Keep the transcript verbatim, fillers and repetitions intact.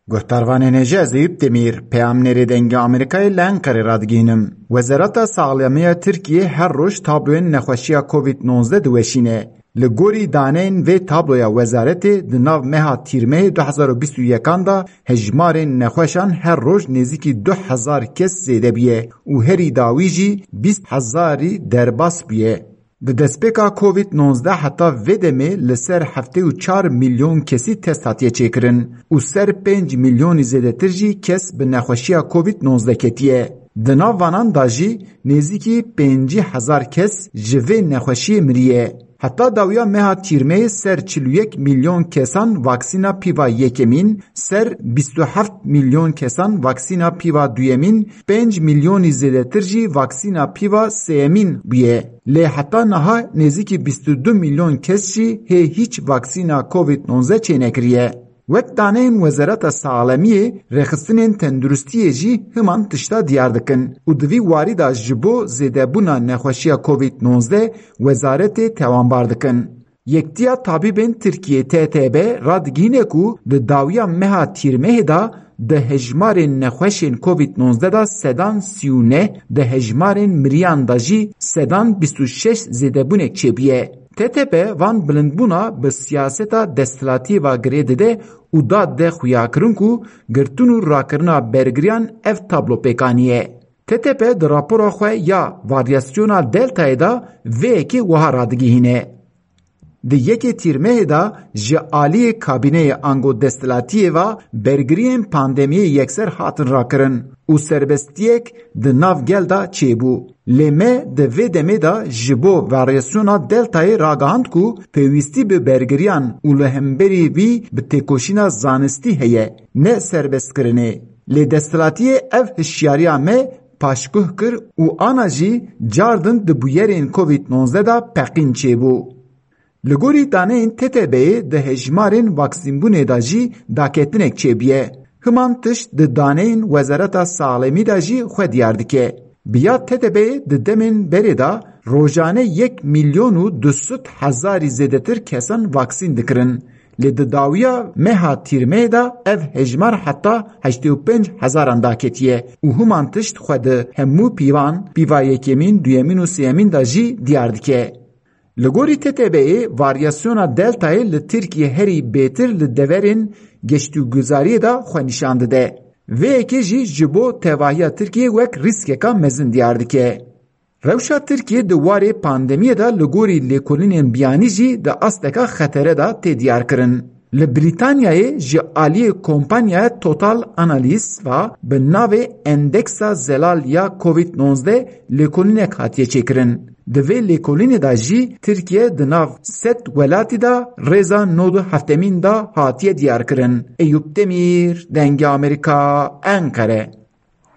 Guhdarvanên hêja, ez Eyûp Demîr, peyamnêrê Dengê Amerîkayê li Enqerê radigihînim. Wezareta Saxlemiya Tirkiyê her roj tabloyên nexweşiya covid nozde diweşîne. Li gorî daneyên vê tabloya wezaretê, di nav meha Tîrmehê du hezar û bîst û yekan de hejmarên nexweşan her roj nêzîkî du hezar kes zêde bûye û herî dawî jî bîst hezarî derbas bûye. Di destpêka covid nozde heta vê demê li ser heftê û çar milyon kesî test hatiye çêkirin û ser pênc milyonî zêdetir jî kes bi nexweşiya covid nozde ketiye. Di nav vanan de jî nêzîkî pêncî hezar kes ji vê nexweşiyê miriye. Heta dawiya meha Tîrmeyê ser çil û yek milyon kesan vaksîna pîva yekemîn, ser bîst û heft milyon kesan vaksîna pîva duyemîn, pênc milyonî zêdetir jî vaksîna pîva sêyemîn bûye. Lê heta niha nêzîkî bîst û du milyon kes jî hê hîç vaksîna covid nozde çênekiriye. Wek daneyên Wezareta Saxlemiyê, rêxistinên tenduristiyê jî himan tişta diyar dikin û di vî warî de ji bo zêdebûna nexweşiya covid nozde wezaretê tewanbar dikin. Yektiya Tabîbên Tirkiyê, T T B, radigihîne ku di dawiya meha Tîrmehê de di hejmarên nexweşên covid nozde de sedan sî û neh, di hejmarên miriyan de jî sedan bîst û şeş zêdebûnek çêbûye. T T B van bilindbûna bi siyaseta desthilatiyê ve girê dide û da de xuyakirin ku girtin û rakirina bergiriyan ev tablo pêk aniye. T T B di rapora xwe ya varyasyona Deltayê de vê yekê wiha radigihîne. Di yekê Tîrmehê de ji aliyê kabîneyê ango desthilatiyê ve bergiriyên pandemiyê yekser hatin rakirin û serbestiyek di nav gel de çêbû. Lê me di vê demê de ji bo varyasyona Deltayê ragihand ku pêwîstî bi bergiriyan û li hemberî vî bi têkoşîna zanistî heye, ne serbestkirinê. Lê desthilatiyê ev hişyariya me paşguh kir û ana jî cardin di bûyerên covid nozde de peqîn çêbû. Li gorî daneyên T T B'yê di hejmarên vaksînbûnê de jî daketinek çêbûye. Himan tişt di daneyên Wezareta Saxlemî de jî xwe diyar dike. Bi ya T T B'yê di demên berê de rojane yek milyon û du sed hezarî zêdetir kesan vaksîn dikirin. Lê di dawiya meha Tîrmeyê de ev hejmar heta heştê û pênc hezaran daketiye û himan tişt xwe di hemû pîvan, pîva yekemîn, duyemîn û sêyemîn de jî diyar dike. Li gorî T T B'yê, varyasyona Deltayê li Tirkiyê herî bêtir li deverên geştûguzariyê de xwe nîşan dide. Vê yekê jî ji bo tevahiya Tirkiyê wek rîskeka mezin diyar dike. Rewşa Tirkiyê di warê pandemiyê de li gorî lêkolînên biyanî jî di asteka xetere de tê diyarkirin. Li Brîtanyayê ji aliyê kompanyaya Total Analysis ve bi navê Endeksa Zelal ya covid nozde lêkolînek hatiye çêkirin. Di vê lêkolînê de jî Tirkiye di nav sed welatî de rêza nod û heftemîn de hatiye diyarkirin. Eyûp Demîr, Dengê Amerîka, Enqere.